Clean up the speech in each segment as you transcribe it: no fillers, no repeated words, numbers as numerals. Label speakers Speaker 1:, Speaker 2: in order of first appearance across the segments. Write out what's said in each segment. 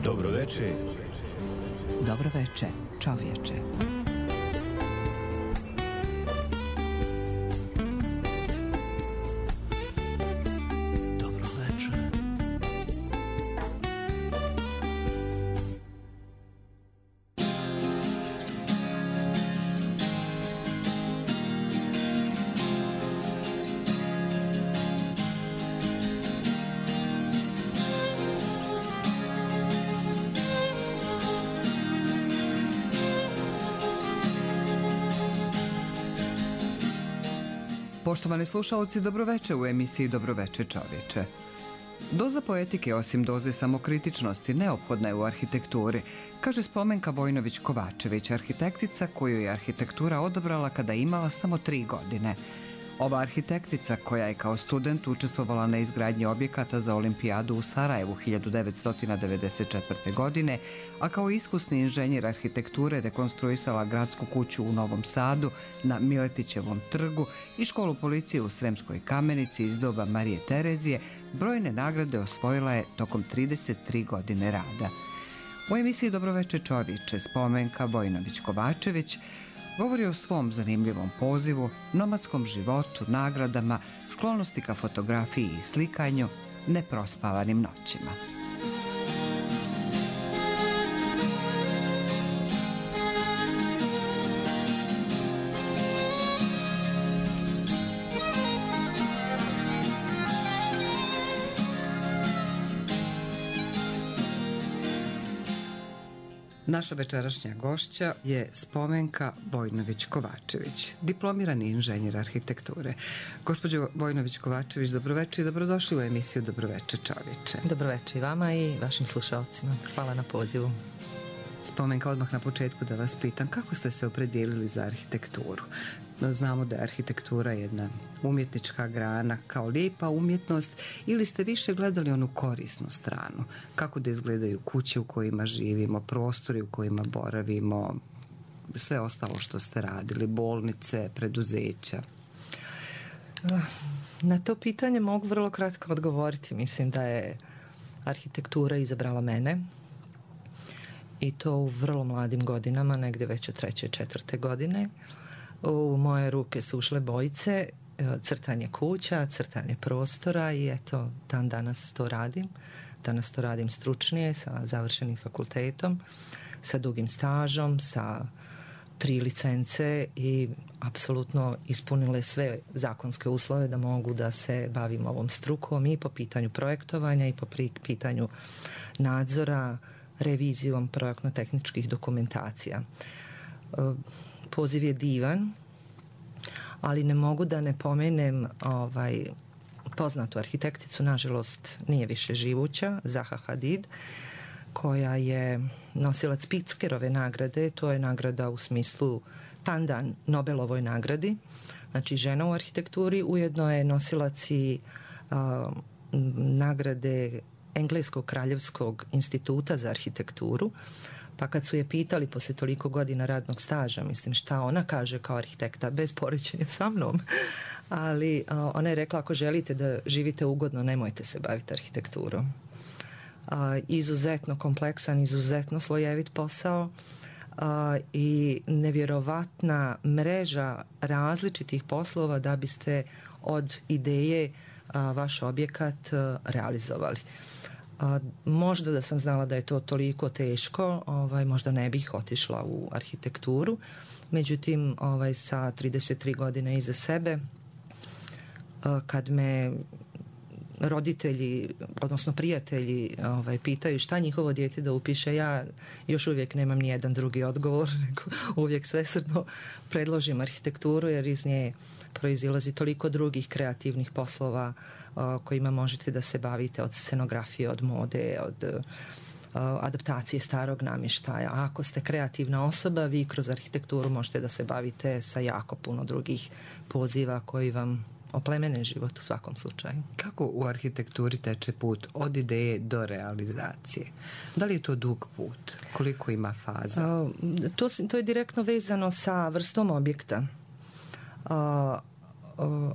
Speaker 1: Dobro veče.
Speaker 2: Dobro veče, čovječe. Poštovani slušalci, dobroveče u emisiji Dobroveče čovječe. Doza poetike, osim doze samokritičnosti, neophodna je u arhitekturi, kaže Spomenka Vojnović-Kovačević, arhitektica koju je arhitektura odabrala kada je imala samo 3 godine. Ova arhitektica, koja je kao student učestvovala na izgradnji objekata za olimpijadu u Sarajevu 1994. godine, a kao iskusni inženjer arhitekture rekonstruisala gradsku kuću u Novom Sadu na Miletićevom trgu i školu policije u Sremskoj Kamenici iz doba Marije Terezije, brojne nagrade osvojila je tokom 33 godine rada. U emisiji Dobroveče čovječe Spomenka Vojnović-Kovačević govori o svom zanimljivom pozivu, nomadskom životu, nagradama, sklonosti ka fotografiji i slikanju, neprospavanim noćima. Naša večerašnja gošća je Spomenka Vojnović-Kovačević, diplomirani inženjer arhitekture. Gospođo Vojnović-Kovačević, dobroveče i dobrodošli u emisiju Dobroveče čovječe.
Speaker 3: Dobroveče i vama i vašim slušalcima. Hvala na pozivu.
Speaker 2: Spomenka, odmah na početku da vas pitam, kako ste se opredijelili za arhitekturu? Znamo da je arhitektura jedna umjetnička grana kao lijepa umjetnost, ili ste više gledali onu korisnu stranu? Kako da izgledaju kuće u kojima živimo, prostori u kojima boravimo, sve ostalo što ste radili, bolnice, preduzeća?
Speaker 3: Na to pitanje mogu vrlo kratko odgovoriti. Mislim da je arhitektura izabrala mene i to u vrlo mladim godinama, negdje već od 3. 4. godine. U moje ruke su ušle bojice, crtanje kuća, crtanje prostora i eto, dan danas to radim. Danas to radim stručnije, sa završenim fakultetom, sa dugim stažom, sa 3 licence i apsolutno ispunile sve zakonske uslove da mogu da se bavim ovom strukom i po pitanju projektovanja i po pitanju nadzora, revizijom projektno-tehničkih dokumentacija. Poziv je divan, ali ne mogu da ne pomenem poznatu arhitekticu, nažalost nije više živuća, Zaha Hadid, koja je nosilac Pritzkerove nagrade. To je nagrada u smislu pandan Nobelovoj nagradi, znači žena u arhitekturi, ujedno je nosilac i nagrade Engleskog kraljevskog instituta za arhitekturu. Pa kad su je pitali poslije toliko godina radnog staža, mislim, šta ona kaže kao arhitekta, bez poređenja sa mnom, ali ona je rekla, ako želite da živite ugodno, nemojte se baviti arhitekturom. Izuzetno kompleksan, izuzetno slojevit posao i nevjerovatna mreža različitih poslova da biste od ideje vaš objekat realizovali. Možda da sam znala da je to toliko teško, možda ne bih otišla u arhitekturu. Međutim, sa 33 godine iza sebe, kad me roditelji, odnosno prijatelji pitaju šta njihovo dijete da upiše, ja još uvijek nemam ni jedan drugi odgovor, nego uvijek svesrdno predložim arhitekturu, jer iz nje proizilazi toliko drugih kreativnih poslova kojima možete da se bavite, od scenografije, od mode, od adaptacije starog namještaja. A ako ste kreativna osoba, vi kroz arhitekturu možete da se bavite sa jako puno drugih poziva koji vam oplemene život u svakom slučaju.
Speaker 2: Kako u arhitekturi teče put od ideje do realizacije? Da li je to dug put? Koliko ima faza?
Speaker 3: To je direktno vezano sa vrstom objekta.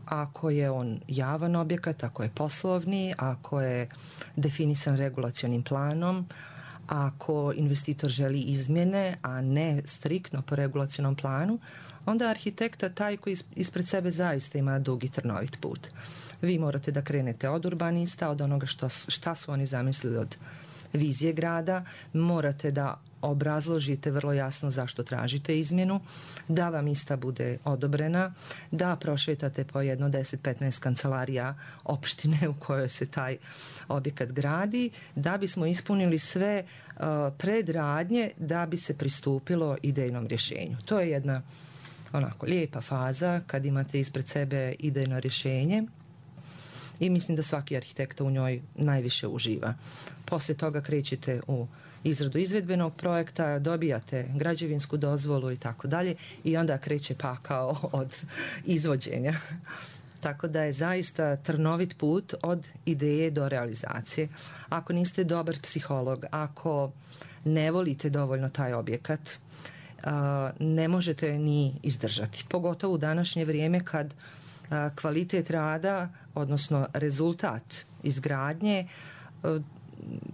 Speaker 3: Ako je on javan objekat, ako je poslovni, ako je definisan regulacionim planom, Ako investitor želi izmjene, a ne striktno po regulacionom planu, onda arhitekta taj koji ispred sebe zaista ima dug i trnovit put. Vi morate da krenete od urbanista, od onoga šta su oni zamislili od vizije grada, morate da obrazložite vrlo jasno zašto tražite izmjenu, da vam ista bude odobrena, da prošetate po jedno 10-15 kancelarija opštine u kojoj se taj objekat gradi, da bismo ispunili sve predradnje da bi se pristupilo idejnom rješenju. To je jedna onako lijepa faza kad imate ispred sebe idejno rješenje i mislim da svaki arhitekta u njoj najviše uživa. Poslije toga krećete u izradu izvedbenog projekta, dobijate građevinsku dozvolu i tako dalje i onda kreće pakao od izvođenja. Tako da je zaista trnovit put od ideje do realizacije. Ako niste dobar psiholog, ako ne volite dovoljno taj objekat, ne možete ni izdržati. Pogotovo u današnje vrijeme kad kvalitet rada, odnosno rezultat izgradnje,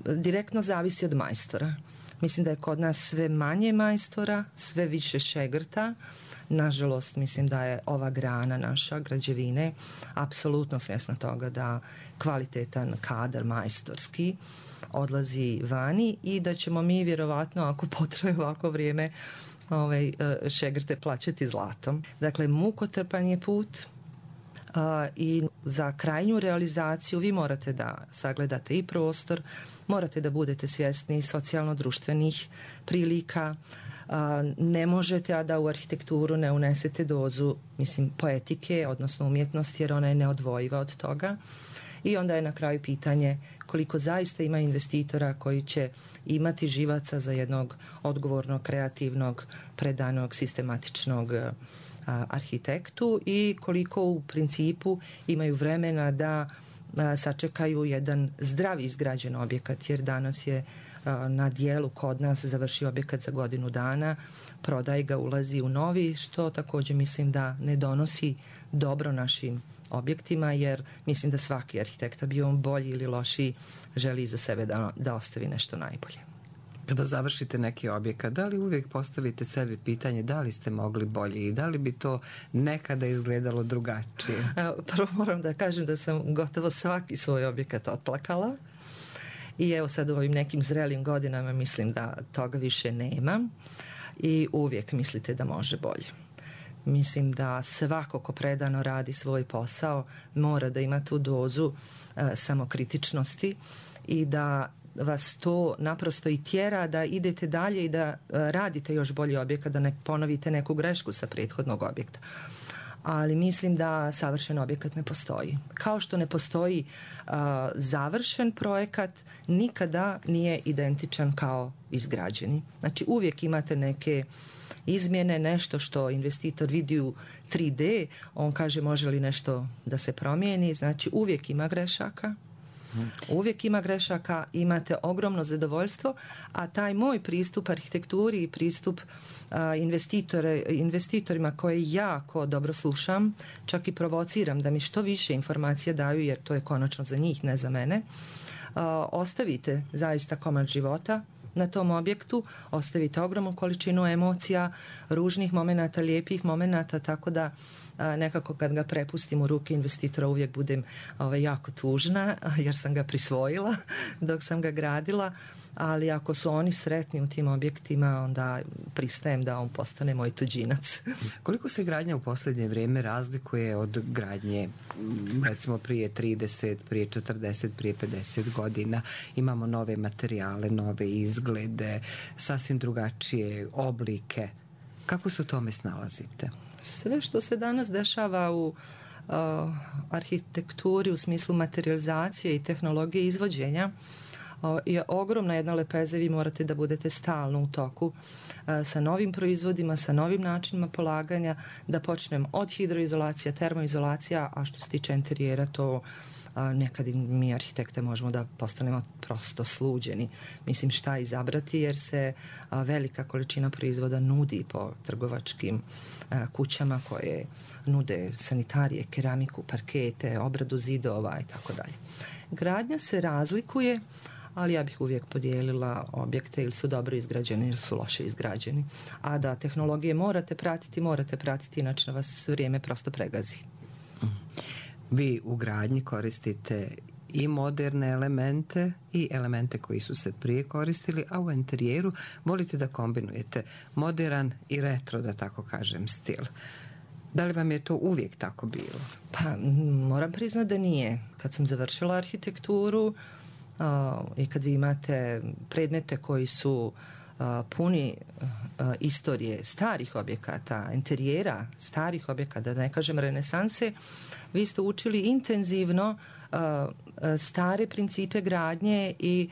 Speaker 3: direktno zavisi od majstora. Mislim da je kod nas sve manje majstora, sve više šegrta. Nažalost, mislim da je ova grana naša građevine apsolutno svjesna toga da kvalitetan kadar majstorski odlazi vani i da ćemo mi vjerovatno, ako potraje ovako vrijeme, šegrte plaćati zlatom. Dakle, mukotrpan je put i za krajnju realizaciju vi morate da sagledate i prostor, morate da budete svjesni socijalno-društvenih prilika, ne možete a da u arhitekturu ne unesete dozu, mislim, poetike, odnosno umjetnosti, jer ona je neodvojiva od toga. I onda je na kraju pitanje koliko zaista ima investitora koji će imati živaca za jednog odgovornog, kreativnog, predanog, sistematičnog arhitektu i koliko u principu imaju vremena da sačekaju jedan zdravi izgrađen objekat, jer danas je na dijelu kod nas završi objekat za godinu dana, prodaje ga, ulazi u novi, što također mislim da ne donosi dobro našim objektima, jer mislim da svaki arhitekta, bio on bolji ili lošiji, želi iza sebe da ostavi nešto najbolje.
Speaker 2: Kada završite neki objekat, da li uvijek postavite sebi pitanje da li ste mogli bolje i da li bi to nekada izgledalo drugačije?
Speaker 3: Prvo moram da kažem da sam gotovo svaki svoj objekat otplakala i evo sad u ovim nekim zrelim godinama mislim da toga više nema i uvijek mislite da može bolje. Mislim da svako ko predano radi svoj posao mora da ima tu dozu samokritičnosti i da vas to naprosto i tjera da idete dalje i da radite još bolji objekat, da ne ponovite neku grešku sa prethodnog objekta. Ali mislim da savršen objekat ne postoji. Kao što ne postoji završen projekat, nikada nije identičan kao izgrađeni. Znači uvijek imate neke izmjene, nešto što investitor vidi u 3D, on kaže može li nešto da se promijeni, znači uvijek ima grešaka. Uvijek ima grešaka, imate ogromno zadovoljstvo, a taj moj pristup arhitekturi i pristup investitorima koje jako dobro slušam, čak i provociram da mi što više informacija daju, jer to je konačno za njih, ne za mene, ostavite zaista komad života na tom objektu, ostavite ogromnu količinu emocija, ružnih momenata, lijepih momenata, tako da nekako kad ga prepustim u ruke investitora uvijek budem jako tužna jer sam ga prisvojila dok sam ga gradila, ali ako su oni sretni u tim objektima onda pristajem da on postane moj tuđinac.
Speaker 2: Koliko se gradnja u posljednje vrijeme razlikuje od gradnje recimo prije 30, prije 40, prije 50 godina? Imamo nove materijale, nove izglede, sasvim drugačije oblike. Kako se u tome snalazite?
Speaker 3: Sve što se danas dešava u arhitekturi u smislu materializacije i tehnologije izvođenja je ogromna jedna lepeza. Vi morate da budete stalno u toku sa novim proizvodima, sa novim načinima polaganja, da počnem od hidroizolacija, termoizolacija, a što se tiče interijera to nekad mi arhitekte možemo da postanemo prosto sluđeni. Mislim šta izabrati jer se velika količina proizvoda nudi po trgovačkim kućama koje nude sanitarije, keramiku, parkete, obradu zidova i tako dalje. Gradnja se razlikuje, ali ja bih uvijek podijelila objekte ili su dobro izgrađeni ili su loše izgrađeni. A da tehnologije morate pratiti, inače vas vrijeme prosto pregazi.
Speaker 2: Vi u gradnji koristite i moderne elemente i elemente koji su se prije koristili, a u interijeru volite da kombinujete modern i retro, da tako kažem, stil. Da li vam je to uvijek tako bilo?
Speaker 3: Pa moram priznati da nije. Kad sam završila arhitekturu i kad vi imate predmete koji su puni istorije starih objekata, interijera starih objekata, da ne kažem renesanse, vi ste učili intenzivno stare principe gradnje i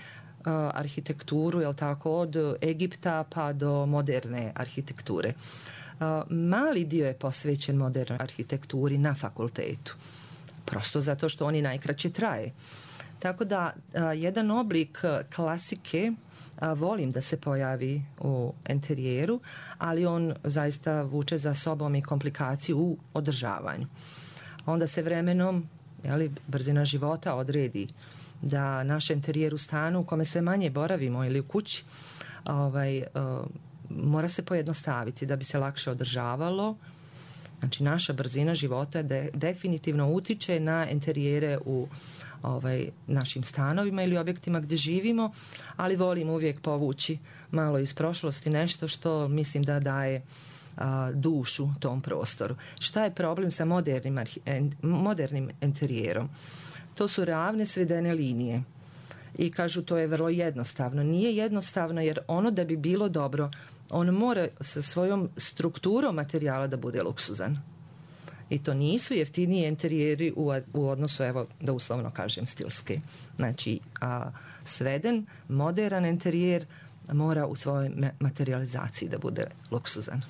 Speaker 3: arhitekturu, jel tako, od Egipta pa do moderne arhitekture. Mali dio je posvećen modernoj arhitekturi na fakultetu. Prosto zato što oni najkraće traje. Tako da jedan oblik klasike volim da se pojavi u interijeru, ali on zaista vuče za sobom i komplikaciju u održavanju. Onda se vremenom, brzina života odredi da naš interijer u stanu u kome sve manje boravimo ili u kući mora se pojednostaviti da bi se lakše održavalo. Znači naša brzina života definitivno utiče na interijere u našim stanovima ili objektima gdje živimo, ali volim uvijek povući malo iz prošlosti nešto što mislim da daje dušu tom prostoru. Šta je problem sa modernim interijerom? To su ravne svedene linije. I kažu to je vrlo jednostavno. Nije jednostavno jer ono da bi bilo dobro, on mora sa svojom strukturom materijala da bude luksuzan. I to nisu jeftiniji interijeri u odnosu, evo, da uslovno kažem, stilski. Znači, sveden, modern interijer mora u svojoj materializaciji da bude luksuzan.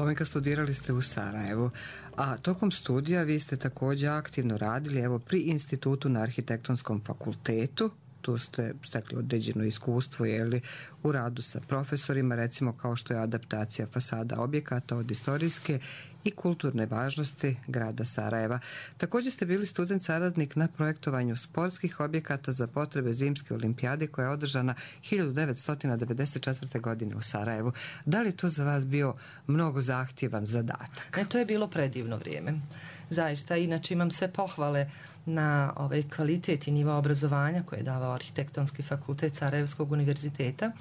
Speaker 2: Pomenka, studirali ste u Sarajevu, a tokom studija vi ste također aktivno radili pri Institutu na Arhitektonskom fakultetu. Tu ste stekli određeno iskustvo u radu sa profesorima, recimo kao što je adaptacija fasada objekata od istorijske i kulturne važnosti grada Sarajeva. Također ste bili student saradnik na projektovanju sportskih objekata za potrebe Zimske olimpijade koja je održana 1994. godine u Sarajevu. Da li to za vas bio mnogo zahtjevan zadatak?
Speaker 3: To je bilo predivno vrijeme. Zaista, inače imam sve pohvale na ovaj kvalitet i nivo obrazovanja koje je davao Arhitektonski fakultet Sarajevskog univerziteta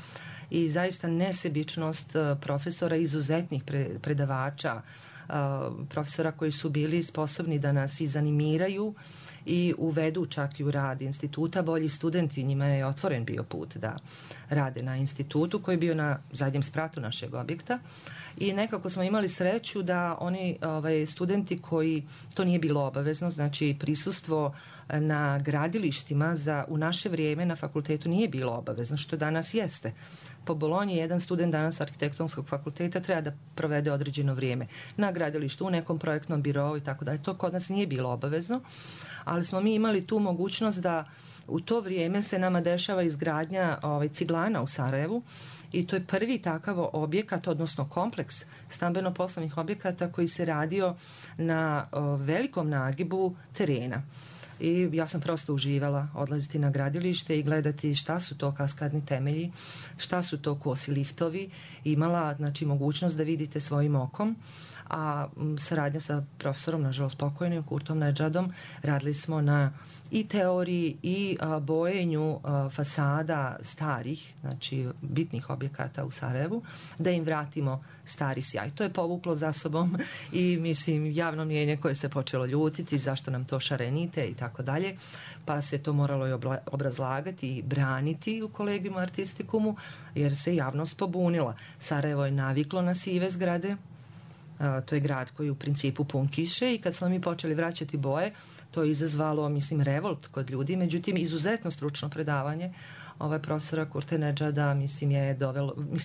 Speaker 3: i zaista nesebičnost profesora, izuzetnih predavača, profesora koji su bili sposobni da nas i zanimiraju i uvedu čak i u rad instituta. Bolji studenti, njima je otvoren bio put da rade na institutu koji je bio na zadnjem spratu našeg objekta i nekako smo imali sreću da oni studenti koji, to nije bilo obavezno, znači prisustvo na gradilištima u naše vrijeme na fakultetu nije bilo obavezno, što danas jeste. Po Bolonji jedan student danas Arhitektonskog fakulteta treba da provede određeno vrijeme na gradilištu, u nekom projektnom birou i tako dalje. To kod nas nije bilo obavezno, ali smo mi imali tu mogućnost da u to vrijeme se nama dešava izgradnja ciglana u Sarajevu i to je prvi takav objekat, odnosno kompleks stambeno-poslovnih objekata koji se radio na velikom nagibu terena. I ja sam prosto uživala odlaziti na gradilište i gledati šta su to kaskadni temelji, šta su to kosi liftovi. Imala mogućnost da vidite svojim okom, a saradnja sa profesorom, nažalost pokojnim, Kurtom Nedžadom, radili smo na i teoriji i bojenju fasada starih, znači bitnih objekata u Sarajevu, da im vratimo stari sjaj. To je povuklo za sobom i mislim javno mnijenje koje se počelo ljutiti zašto nam to šarenite i tako dalje, pa se to moralo i obrazlagati i braniti u kolegijum artistikumu jer se javnost pobunila. Sarajevo je naviklo na sive zgrade. To je grad koji u principu pun kiše i kad smo mi počeli vraćati boje, to je izazvalo, revolt kod ljudi, međutim izuzetno stručno predavanje profesora Kurte Nedžada, je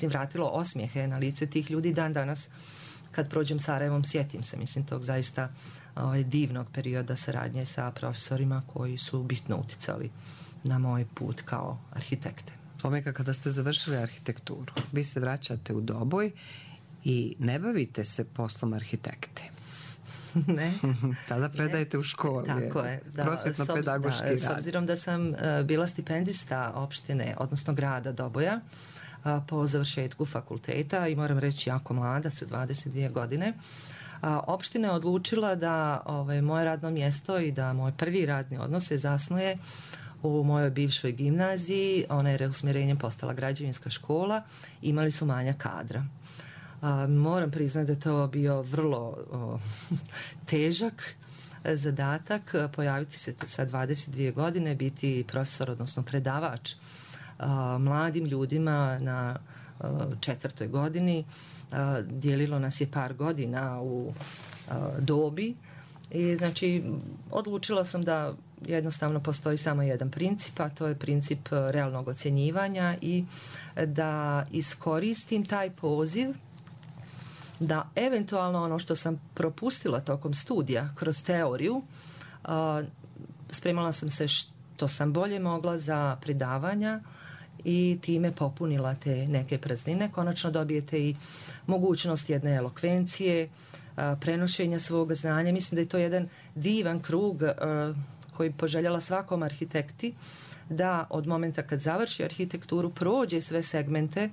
Speaker 3: vratilo osmijehe na lice tih ljudi. Dan danas kad prođem Sarajevom sjetim se, tog zaista divnog perioda saradnje sa profesorima koji su bitno uticali na moj put kao arhitekte.
Speaker 2: Pomenka, kada ste završili arhitekturu, vi se vraćate u Doboj i ne bavite se poslom arhitekte.
Speaker 3: Ne.
Speaker 2: Tada predajete u školi.
Speaker 3: Tako je.
Speaker 2: Prosvjetno-pedagoški rad.
Speaker 3: S obzirom da sam bila stipendista opštine, odnosno grada Doboja, po završetku fakulteta i moram reći jako mlada, sa 22 godine, opština je odlučila da moje radno mjesto i da moj prvi radni odnos se zasnuje u mojoj bivšoj gimnaziji. Ona je reusmjerenjem postala građevinska škola. Imali su manjak kadra. Moram priznati da je to bio vrlo težak zadatak, pojaviti se sa 22 godine, biti profesor, odnosno predavač mladim ljudima na 4. godini. Dijelilo nas je par godina u dobi i odlučila sam da jednostavno postoji samo jedan princip, a to je princip realnog ocjenjivanja i da iskoristim taj poziv da eventualno ono što sam propustila tokom studija kroz teoriju, spremala sam se što sam bolje mogla za predavanja i time popunila te neke praznine. Konačno dobijete i mogućnost jedne elokvencije, prenošenja svog znanja. Mislim da je to jedan divan krug koji poželjela svakom arhitekti da od momenta kad završi arhitekturu prođe sve segmente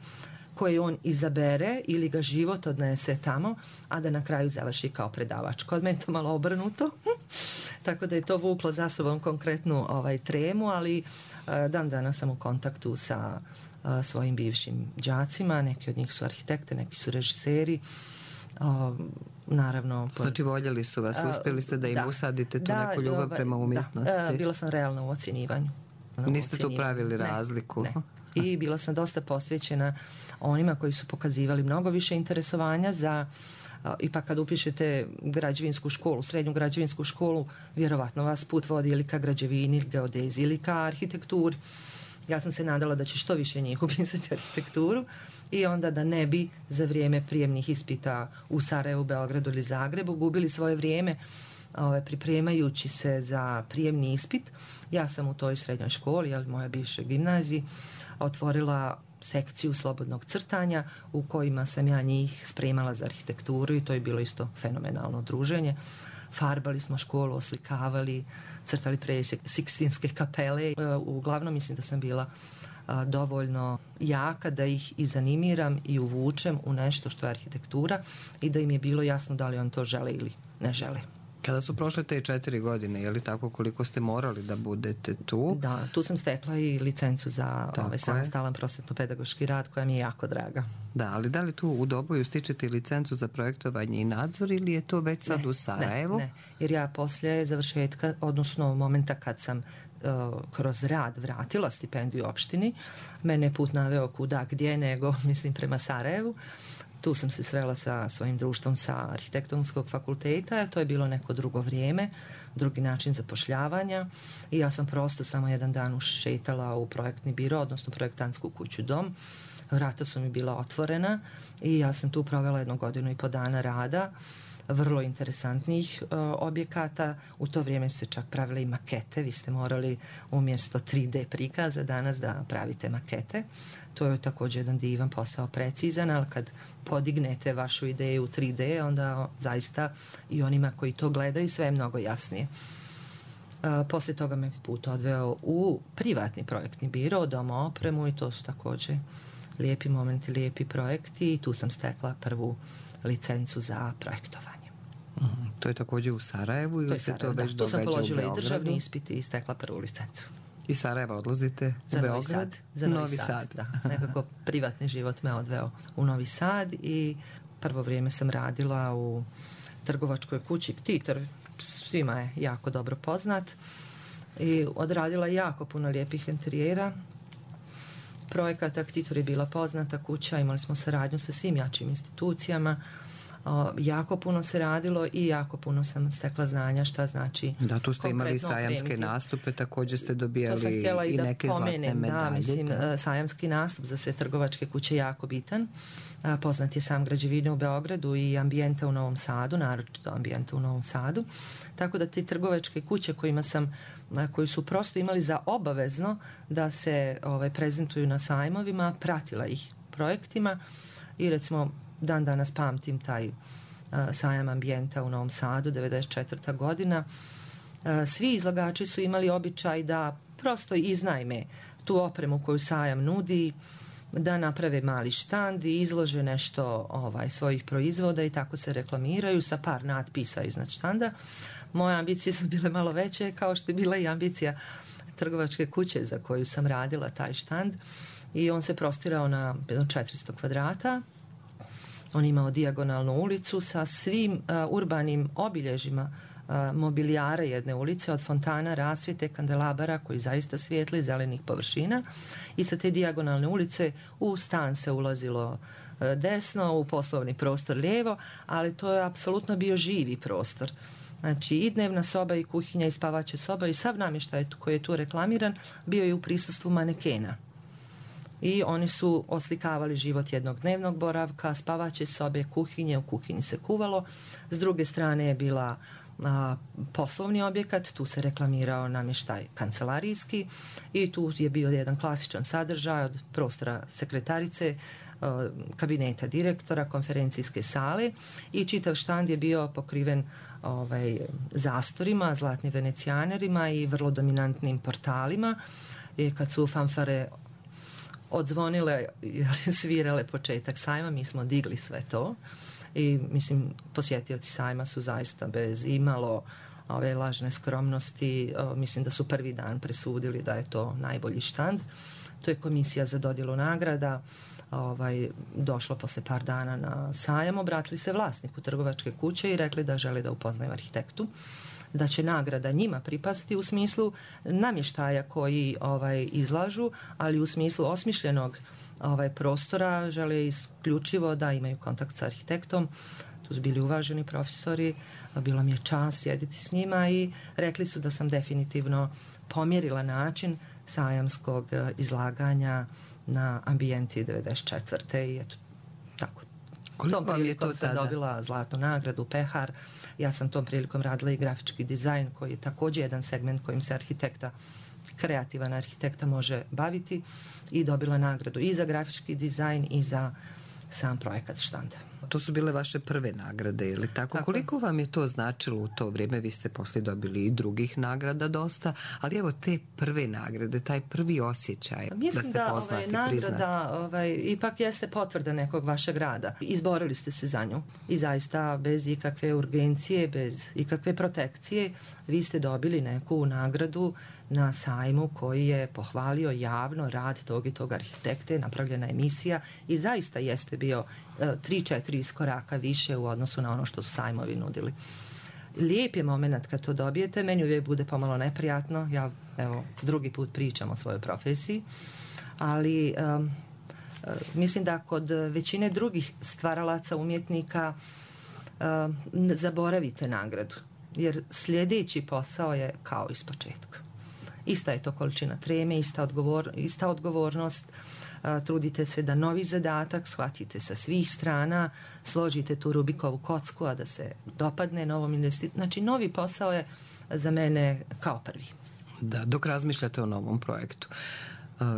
Speaker 3: koje on izabere ili ga život odnese tamo, a da na kraju završi kao predavač. Kod mene to malo obrnuto, tako da je to vuklo za sobom konkretnu tremu, ali dan danas sam u kontaktu sa svojim bivšim đacima, neki od njih su arhitekte, neki su režiseri, naravno.
Speaker 2: Znači voljeli su vas, uspjeli ste da im usadite tu neku ljubav prema umjetnosti.
Speaker 3: Da, bila sam realna u ocjenjivanju.
Speaker 2: Niste tu pravili razliku?
Speaker 3: Ne. I bila sam dosta posvećena onima koji su pokazivali mnogo više interesovanja za, ipak kad upišete građevinsku školu, srednju građevinsku školu, vjerovatno vas put vodi ili ka građevini, ili geodeziji, ili ka arhitekturi. Ja sam se nadala da će što više njih upisati arhitekturu i onda da ne bi za vrijeme prijemnih ispita u Sarajevu, Beogradu ili Zagrebu gubili svoje vrijeme pripremajući se za prijemni ispit. Ja sam u toj srednjoj školi, ali moja bivša gimnaziji, otvorila sekciju slobodnog crtanja u kojima sam ja njih spremala za arhitekturu i to je bilo isto fenomenalno druženje. Farbali smo školu, oslikavali, crtali Sikstinske kapele. Uglavnom mislim da sam bila dovoljno jaka da ih i zanimiram i uvučem u nešto što je arhitektura i da im je bilo jasno da li on to žele ili ne žele.
Speaker 2: Kada su prošle te 4 godine, je li tako koliko ste morali da budete tu?
Speaker 3: Da, tu sam stekla i licencu za samostalan prosvetno-pedagoški rad koja mi je jako draga.
Speaker 2: Da, ali da li tu u Doboju stičete licencu za projektovanje i nadzor ili je to već sad u Sarajevu?
Speaker 3: Ne, jer ja poslije završetka, odnosno momenta kad sam kroz rad vratila stipendiju opštini, mene put naveo kuda gdje nego, mislim, prema Sarajevu. Tu sam se srela sa svojim društvom sa arhitektonskog fakulteta, to je bilo neko drugo vrijeme, drugi način zapošljavanja i ja sam prosto samo jedan dan ušetala u projektni biro, odnosno projektantsku kuću Dom. Vrata su mi bila otvorena i ja sam tu provela 1 godinu i po dana rada, vrlo interesantnih objekata. U to vrijeme su se čak pravile i makete, vi ste morali umjesto 3D prikaza danas da pravite makete. To je također jedan divan posao, precizan, ali kad podignete vašu ideju u 3D, onda zaista i onima koji to gledaju sve je mnogo jasnije. Poslije toga me put odveo u privatni projektni biro, Dom opremu i to su također lijepi momenti, lijepi projekti i tu sam stekla prvu licencu za projektovanje.
Speaker 2: To je također u Sarajevu ili se to već događa u Beogradu?
Speaker 3: Tu sam položila i državni ispit i stekla prvu licencu.
Speaker 2: Iz Sarajeva odlazite u Beograd?
Speaker 3: Za Novi Sad. Da. Nekako privatni život me odveo u Novi Sad i prvo vrijeme sam radila u trgovačkoj kući Titor, svima je jako dobro poznat i odradila jako puno lijepih interijera. Projekata Titor je bila poznata kuća, imali smo saradnju sa svim jačim institucijama. Jako puno se radilo i jako puno sam stekla znanja šta znači.
Speaker 2: Da, tu ste imali sajamske nastupe, također ste dobijali i neke zlatne medalje.
Speaker 3: Da, mislim, sajamski nastup za sve trgovačke kuće jako bitan. Poznat je sam građevine u Beogradu i ambijenta u Novom Sadu, naročito ambijenta u Novom Sadu. Tako da te trgovačke kuće koji su prosto imali za obavezno da se prezentuju na sajmovima, pratila ih projektima i recimo dan danas pamtim taj sajam ambijenta u Novom Sadu, 94. godina. Svi izlagači su imali običaj da prosto iznajme tu opremu koju sajam nudi, da naprave mali štand i izlože nešto svojih proizvoda i tako se reklamiraju sa par natpisa iznad štanda. Moje ambicije su bile malo veće, kao što je bila i ambicija trgovačke kuće za koju sam radila taj štand i on se prostirao na 400 kvadrata. On imao dijagonalnu ulicu sa svim urbanim obilježjima mobilijara jedne ulice, od fontana, rasvjete, kandelabara koji zaista svijetli, zelenih površina i sa te dijagonalne ulice u stan se ulazilo desno, u poslovni prostor lijevo, ali to je apsolutno bio živi prostor. Znači i dnevna soba i kuhinja i spavaća soba i sav namještaj koji je tu reklamiran bio je u prisustvu manekena. I oni su oslikavali život jednog dnevnog boravka, spavaće sobe, kuhinje, u kuhinji se kuvalo. S druge strane je bila poslovni objekat, tu se reklamirao namještaj kancelarijski i tu je bio jedan klasičan sadržaj od prostora sekretarice, kabineta direktora, konferencijske sale i čitav štand je bio pokriven zastorima, zlatnim venecijanerima i vrlo dominantnim portalima. I kad su fanfare odzvonile, svirale početak sajma, mi smo digli sve to i mislim posjetioci sajma su zaista bez imalo ove lažne skromnosti, mislim da su prvi dan presudili da je to najbolji štand. To je komisija za dodjelu nagrada došlo posle par dana na sajam, obratili se vlasniku trgovačke kuće i rekli da žele da upoznaju arhitektu, da će nagrada njima pripasti u smislu namještaja koji izlažu, ali u smislu osmišljenog prostora žele isključivo da imaju kontakt sa arhitektom. Tu su bili uvaženi profesori, bila mi je čast sjediti s njima i rekli su da sam definitivno pomjerila način sajamskog izlaganja na Ambijenti 94. I eto, tako.
Speaker 2: Koliko vam je to
Speaker 3: sam
Speaker 2: tada?
Speaker 3: Dobila zlatnu nagradu Pehar. Ja sam tom prilikom radila i grafički dizajn, koji je također jedan segment kojim se kreativan arhitekta može baviti, i dobila nagradu i za grafički dizajn i za sam projekat štanda.
Speaker 2: To su bile vaše prve nagrade, ili tako? Koliko vam je to značilo u to vrijeme? Vi ste poslije dobili i drugih nagrada dosta, ali evo te prve nagrade, taj prvi osjećaj da ste poznati, priznati.
Speaker 3: Mislim da nagrada ipak jeste potvrda nekog vašeg rada. Izborili ste se za nju i zaista bez ikakve urgencije, bez ikakve protekcije, vi ste dobili neku nagradu na sajmu koji je pohvalio javno rad tog i tog arhitekte, napravljena emisija i zaista jeste bio 3-4 iskoraka više u odnosu na ono što su sajmovi nudili. Lijep je moment kad to dobijete, meni uvijek bude pomalo neprijatno, ja evo drugi put pričam o svojoj profesiji, ali mislim da kod većine drugih stvaralaca, umjetnika zaboravite nagradu, jer sljedeći posao je kao iz početka. Ista je to količina treme, ista odgovornost, trudite se da novi zadatak shvatite sa svih strana, složite tu Rubikovu kocku, a da se dopadne novom investitoru. Znači, novi posao je za mene kao prvi.
Speaker 2: Da, dok razmišljate o novom projektu.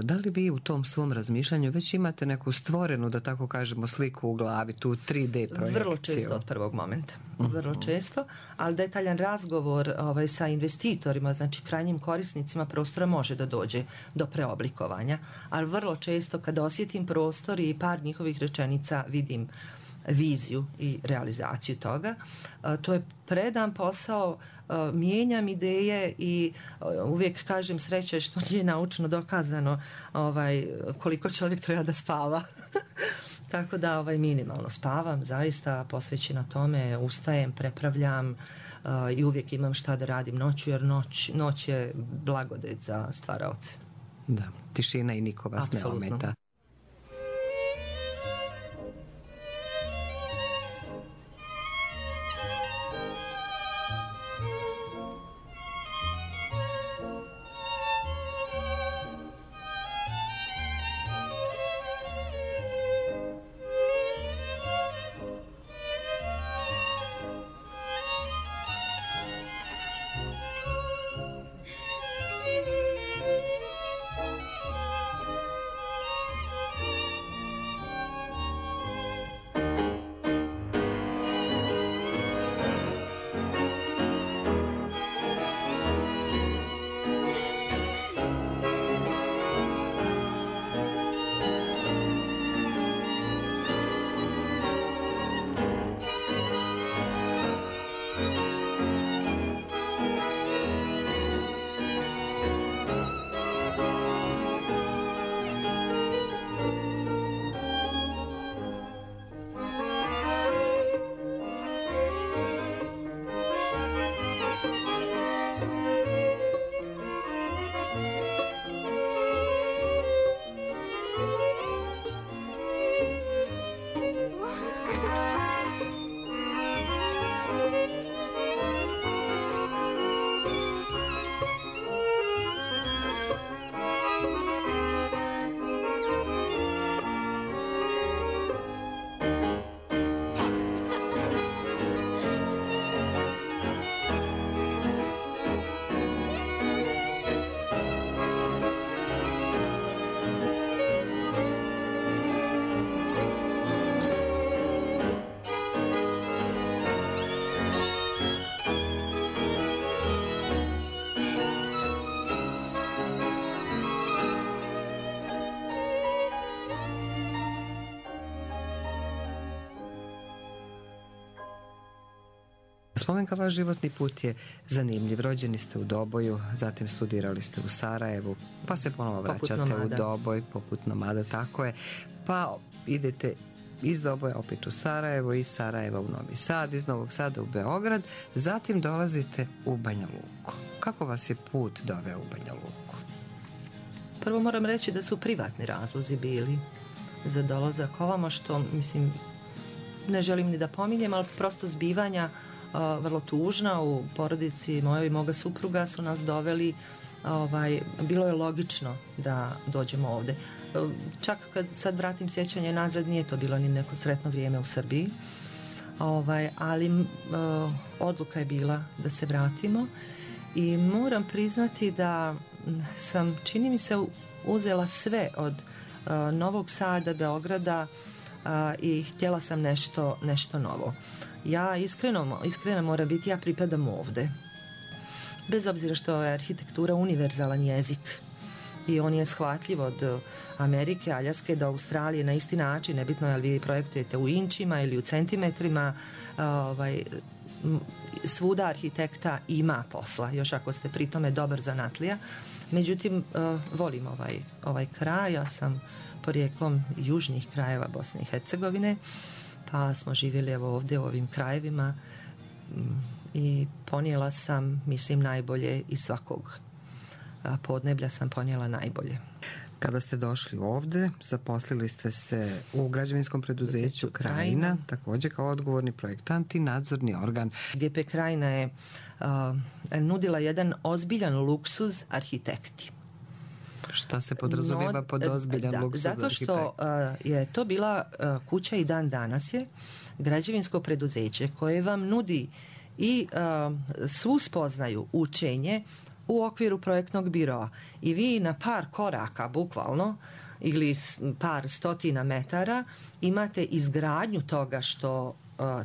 Speaker 2: Da li vi u tom svom razmišljanju već imate neku stvorenu, da tako kažemo, sliku u glavi, tu 3D projekciju?
Speaker 3: Vrlo često od prvog momenta. Vrlo često, ali detaljan razgovor sa investitorima, znači krajnjim korisnicima prostora, može da dođe do preoblikovanja, ali vrlo često kad osjetim prostor i par njihovih rečenica vidim viziju i realizaciju toga. To je predan posao, mijenjam ideje i uvijek kažem sreće što nije naučno dokazano koliko čovjek treba da spava. Tako da minimalno spavam, zaista posvećena tome, ustajem, prepravljam i uvijek imam šta da radim noću, jer noć je blagodet za stvaraoce.
Speaker 2: Da, tišina i niko vas
Speaker 3: Apsolutno.
Speaker 2: ne ometa. Spomenka, vaš životni put je zanimljiv. Rođeni ste u Doboju, zatim studirali ste u Sarajevu, pa se ponovo vraćate u Doboj, poput nomada, tako je. Pa idete iz Doboja opet u Sarajevo, iz Sarajeva u Novi Sad, iz Novog Sada u Beograd, zatim dolazite u Banja Luku. Kako vas je put doveo u Banja Luku?
Speaker 3: Prvo moram reći da su privatni razlozi bili za dolazak ovamo, što mislim ne želim ni da pominjem, ali prosto zbivanja vrlo tužna u porodici mojoj i moga supruga su nas doveli bilo je logično da dođemo ovde. Čak kad sad vratim sjećanje nazad, nije to bilo ni neko sretno vrijeme u Srbiji, ali odluka je bila da se vratimo i moram priznati da sam, čini mi se, uzela sve od Novog Sada, Beograda i htjela sam nešto novo. Ja iskreno moram biti, ja pripadam ovde. Bez obzira što je arhitektura univerzalan jezik i on je shvatljiv od Amerike, Aljaske do Australije na isti način, nebitno je li vi projektujete u inčima ili u centimetrima, svuda arhitekta ima posla, još ako ste pri tome dobar zanatlija. Međutim, volim ovaj kraj, ja sam porijeklom južnih krajeva Bosne i Hercegovine, pa smo živjeli evo ovdje u ovim krajevima i ponijela sam, mislim, najbolje iz svakog podneblja sam ponijela najbolje.
Speaker 2: Kada ste došli ovdje, zaposlili ste se u građevinskom preduzeću Krajina, također kao odgovorni projektant i nadzorni organ.
Speaker 3: GP Krajina je nudila jedan ozbiljan luksuz arhitekti.
Speaker 2: Šta se podrazumijeva pod ozbiljan luksuz arhitekti?
Speaker 3: Zato što je to bila kuća i dan danas je građevinsko preduzeće koje vam nudi i svu spoznaju, učenje u okviru projektnog biroa. I vi na par koraka, bukvalno, ili par stotina metara, imate izgradnju toga što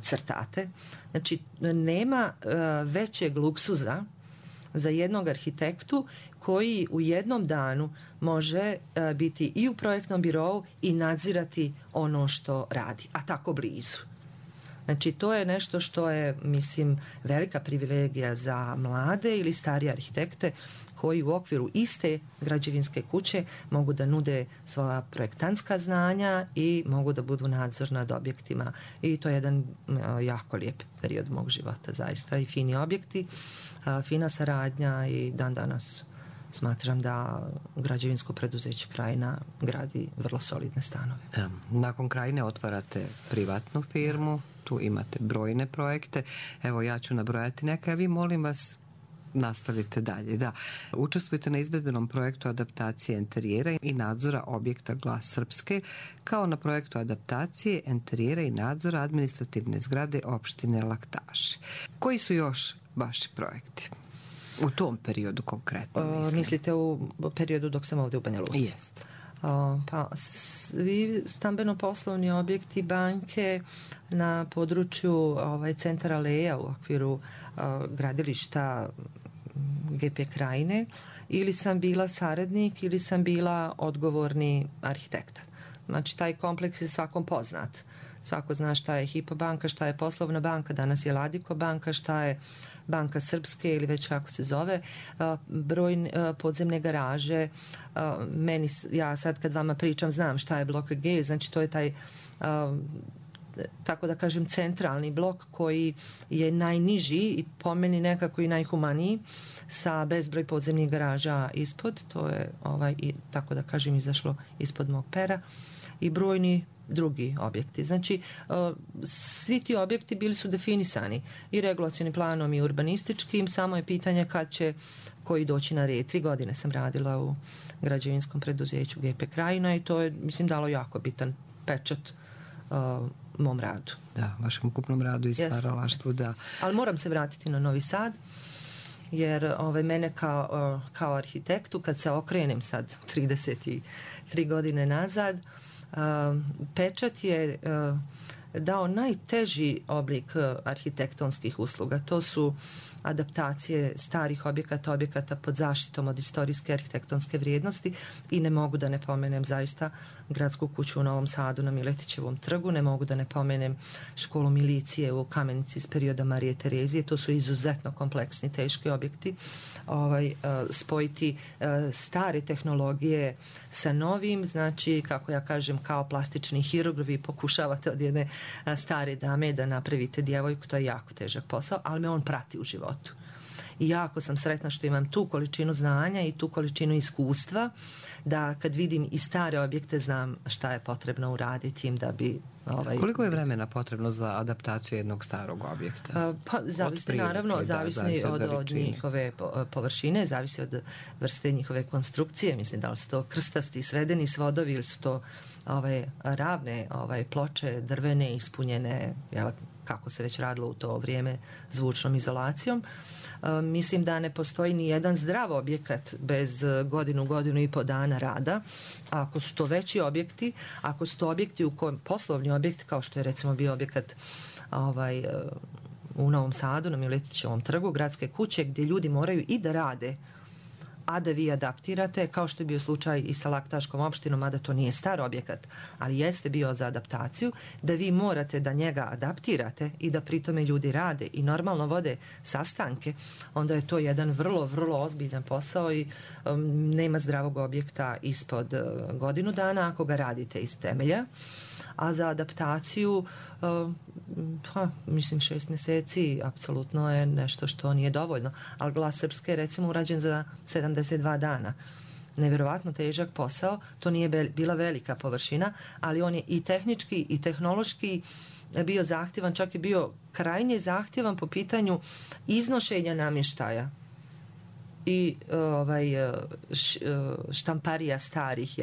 Speaker 3: crtate. Znači, nema većeg luksuza za jednog arhitektu koji u jednom danu može biti i u projektnom birou i nadzirati ono što radi, a tako blizu. Znači, to je nešto što je, mislim, velika privilegija za mlade ili starije arhitekte koji u okviru iste građevinske kuće mogu da nude svoja projektantska znanja i mogu da budu nadzor nad objektima. I to je jedan jako lijep period mog života, zaista. I fini objekti, fina saradnja i dan danas smatram da građevinsko preduzeće Krajina gradi vrlo solidne stanove.
Speaker 2: Nakon Krajine otvarate privatnu firmu, tu imate brojne projekte. Evo, ja ću nabrojati neke, a vi, molim vas, nastavite dalje. Da, učestvujete na izvedbenom projektu adaptacije enterijera i nadzora objekta Glas Srpske, kao na projektu adaptacije enterijera i nadzora administrativne zgrade opštine Laktaši. Koji su još vaši projekti? U tom periodu konkretno, mislim.
Speaker 3: Mislite u periodu dok sam ovdje u Banja Luci?
Speaker 2: Jeste.
Speaker 3: Pa svi stambeno-poslovni objekti banke na području centra Leja u okviru gradilišta GP Krajine, ili sam bila saradnik ili sam bila odgovorni arhitekta. Znači, taj kompleks je svakom poznat. Svako zna šta je Hypo banka, šta je poslovna banka, danas je Ladiko banka, šta je Banka Srpske ili već kako se zove, broj podzemne garaže. Ja sad kad vama pričam znam šta je blok G, znači to je taj, tako da kažem, centralni blok koji je najniži i po meni nekako i najhumaniji, sa bezbroj podzemnih garaža ispod. To je tako da kažem izašlo ispod mog pera. I brojni drugi objekti. Znači, svi ti objekti bili su definisani i regulacionim planom i urbanističkim, samo je pitanje kad će koji doći na red. 3 godine sam radila u građevinskom preduzeću GP Krajina i to je, mislim, dalo jako bitan pečat mom radu.
Speaker 2: Da, vašem ukupnom radu i stvaralaštvu, da.
Speaker 3: Ali moram se vratiti na Novi Sad, jer mene kao arhitektu, kad se okrenem sad 33 godine nazad, pečat je dao najteži oblik arhitektonskih usluga. To su adaptacije starih objekata pod zaštitom od istorijske arhitektonske vrijednosti i ne mogu da ne pomenem zaista gradsku kuću u Novom Sadu na Miletićevom trgu, ne mogu da ne pomenem školu milicije u Kamenici iz perioda Marije Terezije. To su izuzetno kompleksni, teški objekti. Spojiti stare tehnologije sa novim, znači, kako ja kažem, kao plastični hirurg, vi pokušavate od jedne stare dame da napravite djevojku, to je jako težak posao, ali me on prati u životu. I jako sam sretna što imam tu količinu znanja i tu količinu iskustva, da kad vidim i stare objekte znam šta je potrebno uraditi im da bi...
Speaker 2: Koliko je vremena potrebno za adaptaciju jednog starog objekta?
Speaker 3: Pa zavisi naravno, zavisi od njihove površine, zavisi od vrste njihove konstrukcije, mislim da li su to krstasti svedeni svodovi ili su to ravne ploče drvene ispunjene, kako se već radilo u to vrijeme, zvučnom izolacijom. Mislim da ne postoji ni jedan zdrav objekat bez godinu i po dana rada. A ako su to veći objekti, ako su to objekti u kojem poslovni objekt, kao što je recimo bio objekat u Novom Sadu na Miletićevom trgu, gradske kuće, gdje ljudi moraju i da rade, a da vi adaptirate, kao što je bio slučaj i sa Laktaškom opštinom, mada to nije star objekat, ali jeste bio za adaptaciju, da vi morate da njega adaptirate i da pri tome ljudi rade i normalno vode sastanke, onda je to jedan vrlo, vrlo ozbiljan posao i nema zdravog objekta ispod godinu dana ako ga radite iz temelja. A za adaptaciju, mislim 6 mjeseci apsolutno je nešto što nije dovoljno. Ali Glas Srpske je recimo urađen za 72 dana. Nevjerovatno težak posao, to nije bila velika površina, ali on je i tehnički i tehnološki bio zahtjevan, čak je bio krajnje zahtjevan po pitanju iznošenja namještaja i štamparija starih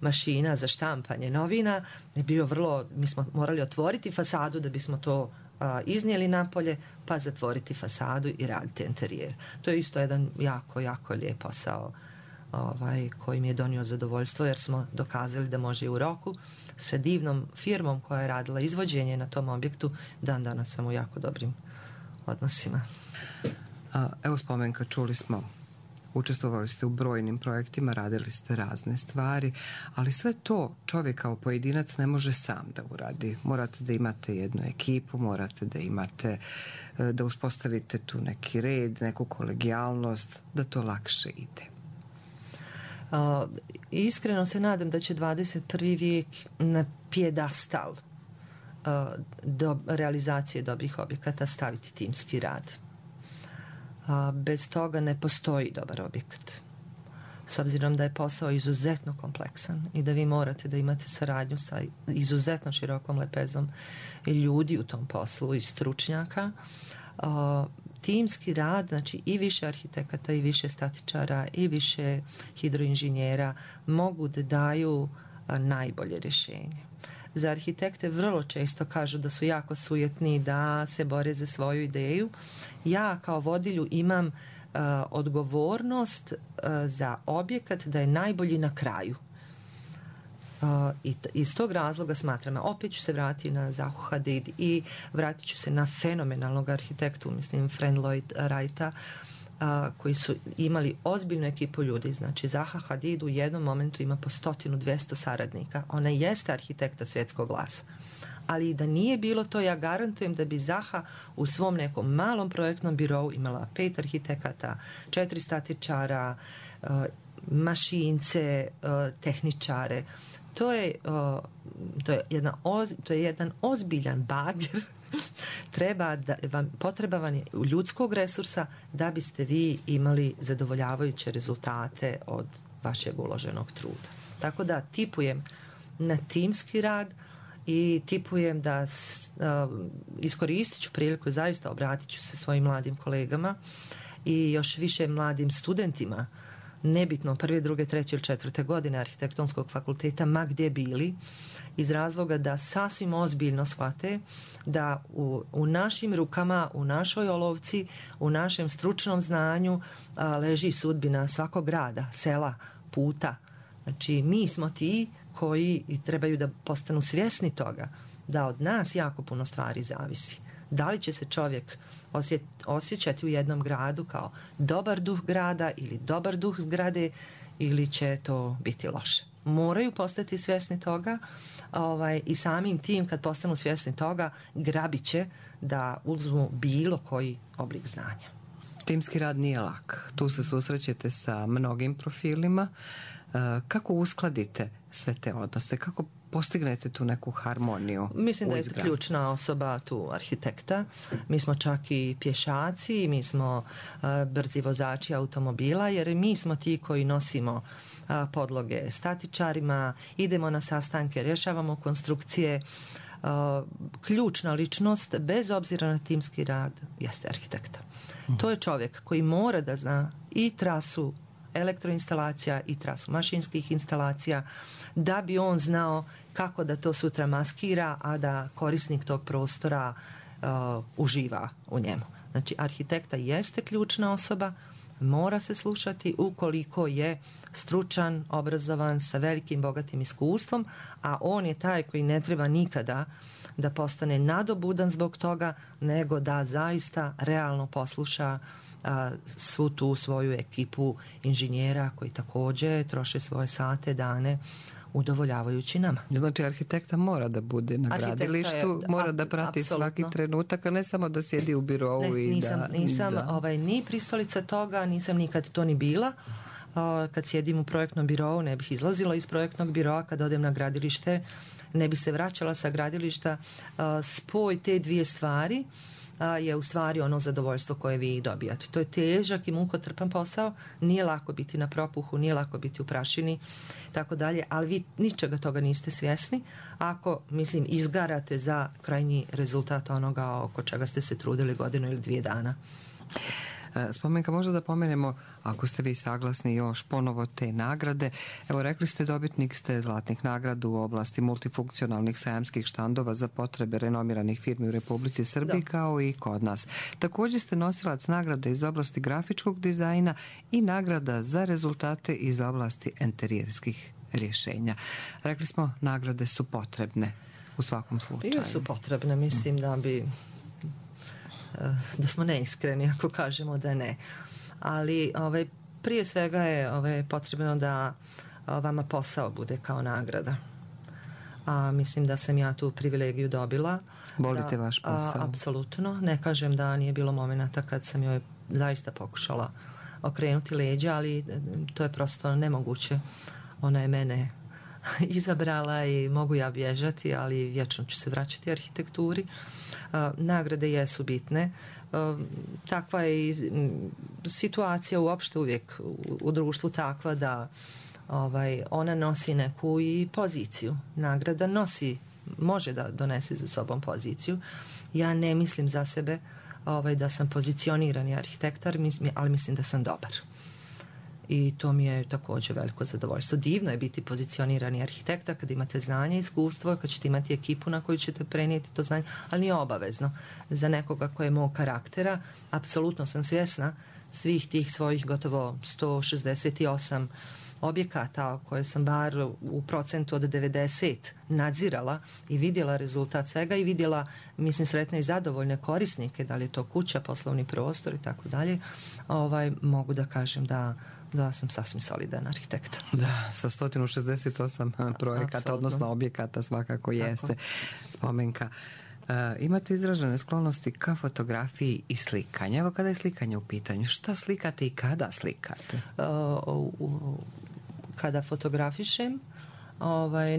Speaker 3: mašina za štampanje novina je bio vrlo, mi smo morali otvoriti fasadu da bismo to iznijeli napolje, pa zatvoriti fasadu i raditi interijer. To je isto jedan jako, jako lijep posao koji mi je donio zadovoljstvo, jer smo dokazali da može i u roku sa divnom firmom koja je radila izvođenje na tom objektu. Dan danas sam u jako dobrim odnosima.
Speaker 2: Evo Spomenka, čuli smo, učestvovali ste u brojnim projektima, radili ste razne stvari, ali sve to čovjek kao pojedinac ne može sam da uradi. Morate da imate jednu ekipu, morate da imate, da uspostavite tu neki red, neku kolegijalnost, da to lakše ide.
Speaker 3: Iskreno se nadam da će 21. vijek na pijedastal do realizacije dobrih objekata staviti timski rad. Bez toga ne postoji dobar objekat. S obzirom da je posao izuzetno kompleksan i da vi morate da imate saradnju sa izuzetno širokom lepezom i ljudi u tom poslu i stručnjaka, timski rad, znači i više arhitekata i više statičara i više hidroinženjera mogu da daju najbolje rješenje. Za arhitekte vrlo često kažu da su jako sujetni, da se bore za svoju ideju. Ja kao vodilju imam odgovornost za objekat da je najbolji na kraju. I iz tog razloga smatram, opet ću se vratiti na Zahu Hadid i vratit ću se na fenomenalnog arhitektu, mislim Fred Lloyd Wrighta, koji su imali ozbiljnu ekipu ljudi. Znači Zaha Hadid u jednom momentu ima po 100-200 saradnika. Ona jeste arhitekta svjetskog glasa. Ali da nije bilo to, ja garantujem da bi Zaha u svom nekom malom projektnom birovu imala 5 arhitekata, 4 statičara, mašince, tehničare. To je jedan ozbiljan bager. Potreba vam je ljudskog resursa da biste vi imali zadovoljavajuće rezultate od vašeg uloženog truda. Tako da tipujem na timski rad i tipujem da iskoristit ću priliku, zaista obratit ću se svojim mladim kolegama i još više mladim studentima, nebitno 1., 2., 3. ili 4. godine arhitektonskog fakulteta, ma gdje bili, iz razloga da sasvim ozbiljno shvate da u našim rukama, u našoj olovci, u našem stručnom znanju leži sudbina svakog grada, sela, puta. Znači mi smo ti koji trebaju da postanu svjesni toga da od nas jako puno stvari zavisi. Da li će se čovjek osjećati u jednom gradu kao dobar duh grada ili dobar duh zgrade, ili će to biti loše. Moraju postati svjesni toga i samim tim kad postanu svjesni toga grabit će da uzmu bilo koji oblik znanja.
Speaker 2: Timski rad nije lak. Tu se susrećete sa mnogim profilima. Kako uskladite sve te odnose? Kako postignete tu neku harmoniju?
Speaker 3: Mislim da je ključna osoba tu arhitekta. Mi smo čak i pješaci, mi smo brzi vozači automobila, jer mi smo ti koji nosimo podloge statičarima, idemo na sastanke, rješavamo konstrukcije. Ključna ličnost, bez obzira na timski rad, jeste arhitekta. To je čovjek koji mora da zna i trasu elektroinstalacija i trasu mašinskih instalacija, da bi on znao kako da to sutra maskira, a da korisnik tog prostora uživa u njemu. Znači, arhitekta jeste ključna osoba, mora se slušati ukoliko je stručan, obrazovan, sa velikim, bogatim iskustvom, a on je taj koji ne treba nikada da postane nadobudan zbog toga, nego da zaista realno posluša svu tu svoju ekipu inženjera koji također troše svoje sate, dane, udovoljavajući nama.
Speaker 2: Znači, arhitekta mora da bude na gradilištu, mora da prati svaki trenutak, a ne samo da sjedi u birovu
Speaker 3: nisam ni pristalica toga, nisam nikad to ni bila. Kad sjedim u projektnom birovu, ne bih izlazila iz projektnog biroa. Kad odem na gradilište, ne bih se vraćala sa gradilišta. Spoj te dvije stvari je u stvari ono zadovoljstvo koje vi dobijate. To je težak i mukotrpan posao, nije lako biti na propuhu, nije lako biti u prašini, tako dalje, ali vi ničega toga niste svjesni ako, izgarate za krajnji rezultat onoga oko čega ste se trudili godinu ili 2 dana.
Speaker 2: Spomenka, možda da pomenemo, ako ste vi saglasni, još ponovo te nagrade. Evo, rekli ste, dobitnik ste zlatnih nagrada u oblasti multifunkcionalnih sajamskih štandova za potrebe renomiranih firmi u Republici Srbiji, kao i kod nas. Također ste nosilac nagrade iz oblasti grafičkog dizajna i nagrada za rezultate iz oblasti enterijerskih rješenja. Rekli smo, nagrade su potrebne u svakom slučaju.
Speaker 3: Bio su potrebne, mislim da smo neiskreni ako kažemo da ne. Ali prije svega je potrebno da vama posao bude kao nagrada. A mislim da sam ja tu privilegiju dobila.
Speaker 2: Volite vaš posao?
Speaker 3: Apsolutno. Ne kažem da nije bilo momenata kad sam joj zaista pokušala okrenuti leđa, ali to je prosto nemoguće. Ona je mene izabrala i mogu ja bježati, ali vječno ću se vraćati arhitekturi. Nagrade jesu bitne. Takva je situacija uopšte uvijek u društvu takva da ona nosi neku i poziciju. Nagrada može da donese za sobom poziciju. Ja ne mislim za sebe da sam pozicionirani arhitektar, ali mislim da sam dobar. I to mi je također veliko zadovoljstvo. Divno je biti pozicionirani arhitekta kad imate znanje i iskustvo, kad ćete imati ekipu na koju ćete prenijeti to znanje, ali nije obavezno. Za nekoga koji je mog karaktera, apsolutno sam svjesna svih tih svojih gotovo 168 objekata koje sam bar u procentu od 90 nadzirala i vidjela rezultat svega i vidjela, sretne i zadovoljne korisnike, da li je to kuća, poslovni prostor i tako dalje, mogu da kažem da sam sasvim solidan arhitekt.
Speaker 2: Da, sa 168 projekata, absolutno. Odnosno objekata svakako jeste. Spomenka. Imate izražene sklonosti ka fotografiji i slikanju. Evo, kada je slikanje u pitanju, šta slikate i kada slikate?
Speaker 3: Kada fotografišem,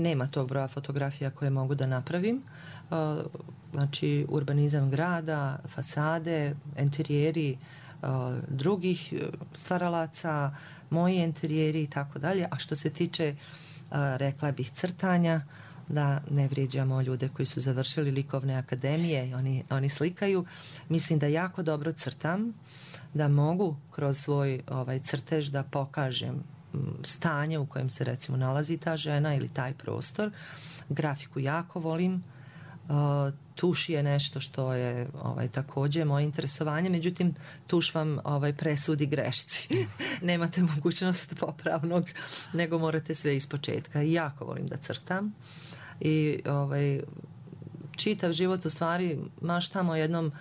Speaker 3: nema tog broja fotografija koje mogu da napravim. Znači, urbanizam grada, fasade, interijeri drugih stvaralaca, moji interijeri i tako dalje. A što se tiče, rekla bih, crtanja, da ne vrijeđamo ljude koji su završili likovne akademije i oni slikaju. Mislim da jako dobro crtam, da mogu kroz svoj crtež da pokažem stanje u kojem se recimo nalazi ta žena ili taj prostor. Grafiku jako volim. Tuš je nešto što je također moje interesovanje, međutim tuš vam presudi grešci. Nemate mogućnost popravnog, nego morate sve ispočetka. Jako volim da crtam i čitav život u stvari maštamo o jednom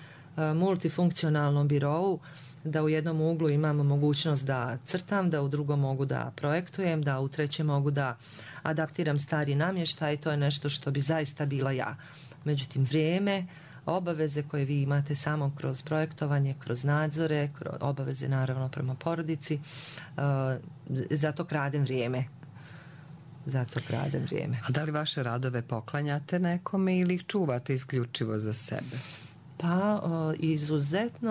Speaker 3: multifunkcionalnom birovu, da u jednom uglu imam mogućnost da crtam, da u drugom mogu da projektujem, da u trećem mogu da adaptiram stari namještaj. To je nešto što bi zaista bila ja. Međutim, vrijeme, obaveze koje vi imate samo kroz projektovanje, kroz nadzore, kroz obaveze naravno prema porodici, zato kradem vrijeme zato kradem vrijeme.
Speaker 2: A da li vaše radove poklanjate nekome ili ih čuvate isključivo za sebe?
Speaker 3: Pa izuzetne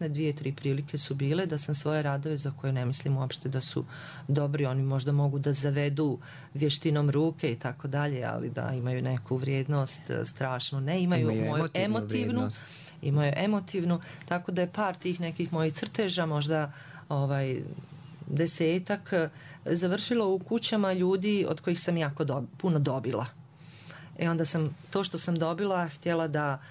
Speaker 3: 2-3 prilike su bile da sam svoje radove za koje ne mislim uopšte da su dobri, oni možda mogu da zavedu vještinom ruke i tako dalje, ali da imaju neku vrijednost strašnu. Ne, imaju moju emotivnu, imaju emotivnu, tako da je par tih nekih mojih crteža, možda 10-ak, završilo u kućama ljudi od kojih sam jako puno dobila. Onda sam to što sam dobila htjela da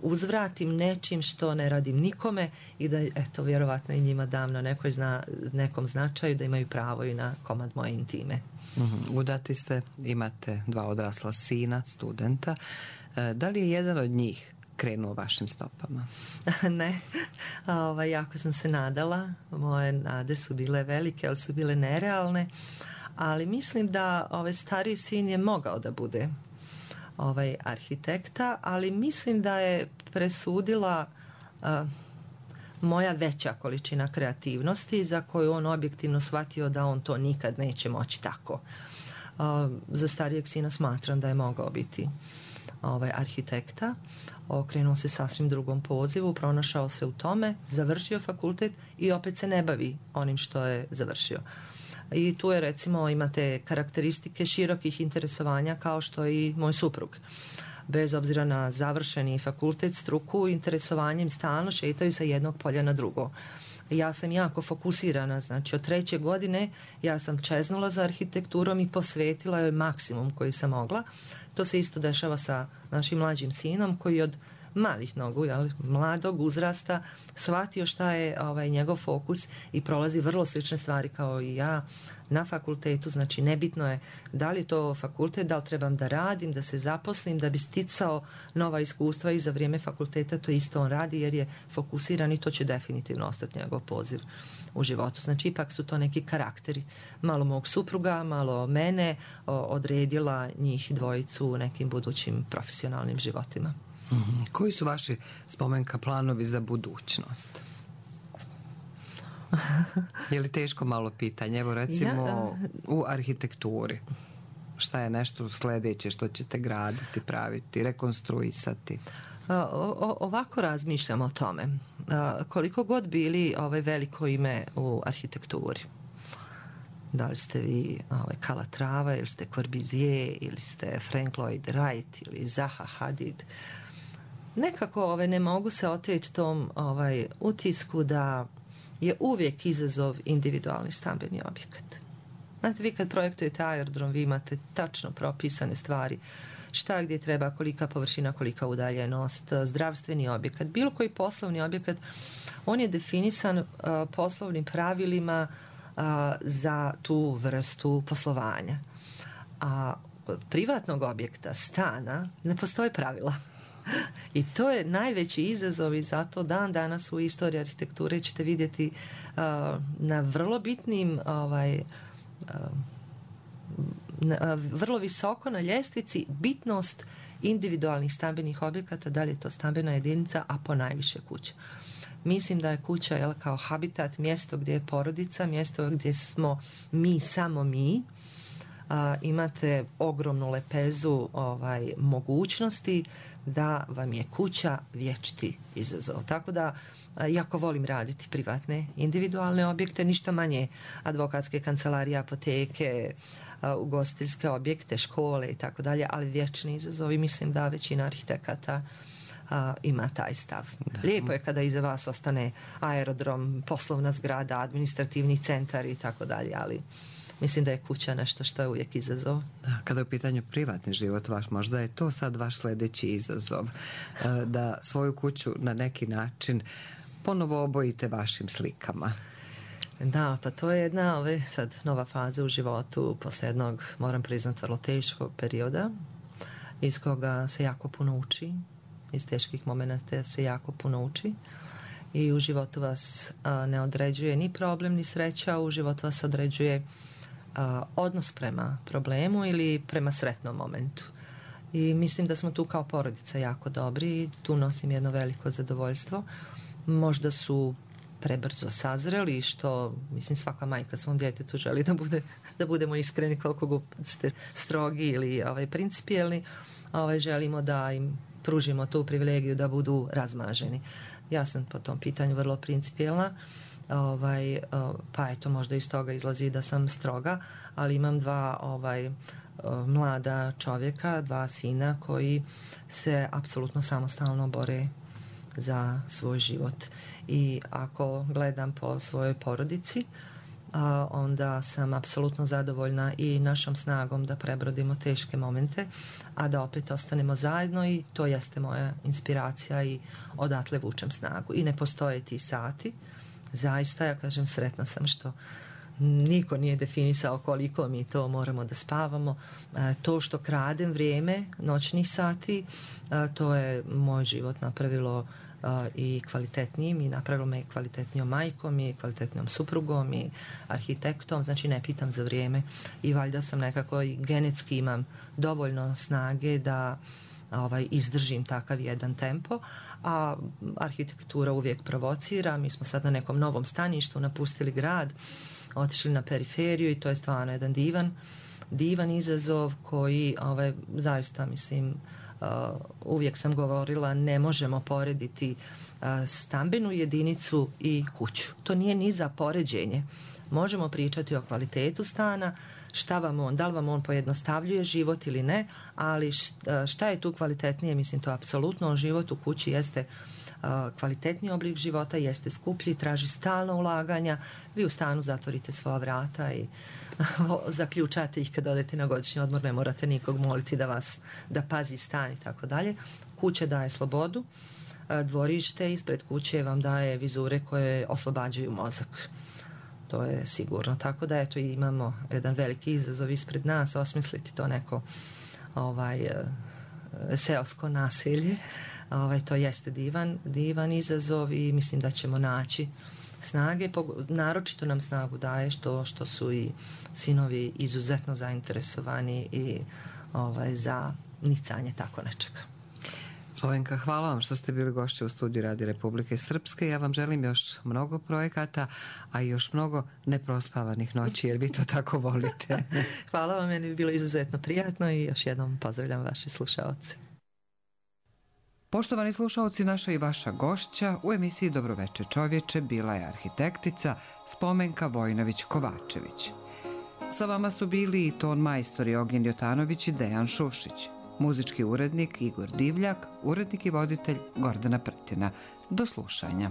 Speaker 3: uzvratim nečim što ne radim nikome i da vjerovatno i njima dam na nekom značaju, da imaju pravo i na komad moje intime.
Speaker 2: Udati ste, imate 2 odrasla sina, studenta. Da li je jedan od njih krenuo vašim stopama?
Speaker 3: Ne, jako sam se nadala. Moje nade su bile velike, ali su bile nerealne. Ali mislim da stariji sin je mogao da bude arhitekta, ali mislim da je presudila moja veća količina kreativnosti za koju on objektivno shvatio da on to nikad neće moći tako. Za starijeg sina smatram da je mogao biti arhitekta. Okrenuo se sasvim drugom pozivu, pronašao se u tome, završio fakultet i opet se ne bavi onim što je završio. I tu je, recimo, imate karakteristike širokih interesovanja kao što i moj suprug. Bez obzira na završeni fakultet, struku, interesovanjem stalno šetaju sa jednog polja na drugo. Ja sam jako fokusirana, znači od 3. godine ja sam čeznula za arhitekturom i posvetila joj maksimum koji sam mogla. To se isto dešava sa našim mlađim sinom koji od malih nogu, mladog uzrasta, shvatio šta je njegov fokus i prolazi vrlo slične stvari kao i ja na fakultetu. Znači nebitno je da li je to fakultet, da li trebam da radim, da se zaposlim, da bi sticao nova iskustva i za vrijeme fakulteta to isto on radi jer je fokusiran i to će definitivno ostati njegov poziv u životu. Znači ipak su to neki karakteri. Malo mog supruga, malo mene, odredila njih dvojicu u nekim budućim profesionalnim životima.
Speaker 2: Koji su vaši, Spomenka, planovi za budućnost? Je li teško malo pitanje? Evo recimo u arhitekturi. Šta je nešto sljedeće što ćete graditi, praviti, rekonstruisati?
Speaker 3: Ovako razmišljam o tome. Koliko god bili veliko ime u arhitekturi. Da li ste vi Calatrava, ili ste Corbusier, ili ste Frank Lloyd Wright, ili Zaha Hadid. Nekako ne mogu se oteti tom utisku da je uvijek izazov individualni stambeni objekat. Znate, vi kad projektujete aerodrom, vi imate tačno propisane stvari. Šta gdje treba, kolika površina, kolika udaljenost, zdravstveni objekat. Bilo koji poslovni objekat, on je definisan poslovnim pravilima za tu vrstu poslovanja. A kod privatnog objekta, stana, ne postoje pravila. I to je najveći izazov i zato dan danas u istoriji arhitekture ćete vidjeti na vrlo bitnim vrlo visoko na ljestvici bitnost individualnih stambenih objekata, da li je to stambena jedinica, a po najviše kuća. Mislim da je kuća kao habitat, mjesto gdje je porodica, mjesto gdje smo mi, samo mi. Imate ogromnu lepezu mogućnosti da vam je kuća vječiti izazov. Tako da jako volim raditi privatne individualne objekte, ništa manje advokatske kancelarije, apoteke, ugostiteljske objekte, škole i tako dalje, ali vječni izazov i mislim da većina arhitekata ima taj stav. Lijepo je kada iza vas ostane aerodrom, poslovna zgrada, administrativni centar i tako dalje, ali mislim da je kuća nešto što je uvijek izazov.
Speaker 2: Da, kada je u pitanju privatni život vaš, možda je to sad vaš sljedeći izazov. Da svoju kuću na neki način ponovo obojite vašim slikama.
Speaker 3: Da, pa to je jedna sad nova faza u životu poslije jednog, moram priznati, vrlo teškog perioda iz koga se jako puno uči. Iz teških momenata se jako puno uči. I u životu vas ne određuje ni problem, ni sreća. U životu vas određuje odnos prema problemu ili prema sretnom momentu. I mislim da smo tu kao porodica jako dobri i tu nosim jedno veliko zadovoljstvo. Možda su prebrzo sazreli i što, mislim, svaka majka svom djetetu želi da budemo iskreni koliko god ste strogi ili principijelni, želimo da im pružimo tu privilegiju da budu razmaženi. Ja sam po tom pitanju vrlo principijelna, pa eto, možda iz toga izlazi da sam stroga, ali imam dva mlada čovjeka, dva sina koji se apsolutno samostalno bore za svoj život. I ako gledam po svojoj porodici, onda sam apsolutno zadovoljna i našom snagom da prebrodimo teške momente, a da opet ostanemo zajedno, i to jeste moja inspiracija i odatle vučem snagu. I ne postoje ti sati. Zaista, ja kažem, sretna sam što niko nije definisao koliko mi to moramo da spavamo. To što kradem vrijeme noćnih sati, to je moj život napravilo i kvalitetnijim, i napravilo me kvalitetnijom majkom i kvalitetnijom suprugom i arhitektom, znači ne pitam za vrijeme, i valjda sam nekako i genetski imam dovoljno snage da izdržim takav jedan tempo, a arhitektura uvijek provocira. Mi smo sad na nekom novom staništu, napustili grad, otišli na periferiju, i to je stvarno jedan divan izazov koji zaista, mislim, uvijek sam govorila, ne možemo porediti stambenu jedinicu i kuću. To nije ni za poređenje. Možemo pričati o kvalitetu stana, da li vam on pojednostavljuje život ili ne, ali šta je tu kvalitetnije, mislim, to apsolutno život u kući jeste kvalitetniji oblik života, jeste skuplji, traži stalno ulaganja. Vi u stanu zatvorite svoja vrata i zaključate ih kad odete na godišnji odmor, ne morate nikog moliti da pazi stan i tako dalje. Kuća daje slobodu, dvorište ispred kuće vam daje vizure koje oslobađaju mozak. To je sigurno. Tako da eto, imamo jedan veliki izazov ispred nas, osmisliti to neko seosko naselje. To jeste divan izazov, i mislim da ćemo naći snage. Naročito nam snagu daje što su i sinovi izuzetno zainteresovani i za nicanje tako nečega.
Speaker 2: Spomenka, hvala vam što ste bili gošće u studiju Radio Republike Srpske. Ja vam želim još mnogo projekata, a i još mnogo neprospavanih noći, jer vi to tako volite.
Speaker 3: Hvala vam, meni bi bilo izuzetno prijatno, i još jednom pozdravljam vaše slušaoce.
Speaker 2: Poštovani slušaoci, naša i vaša gošća u emisiji Dobroveče čovječe bila je arhitektica Spomenka Vojnović-Kovačević. Sa vama su bili i ton majstori Ognjen Jotanović i Dejan Šušić. Muzički urednik Igor Divljak, urednik i voditelj Gordana Prtina. Do slušanja.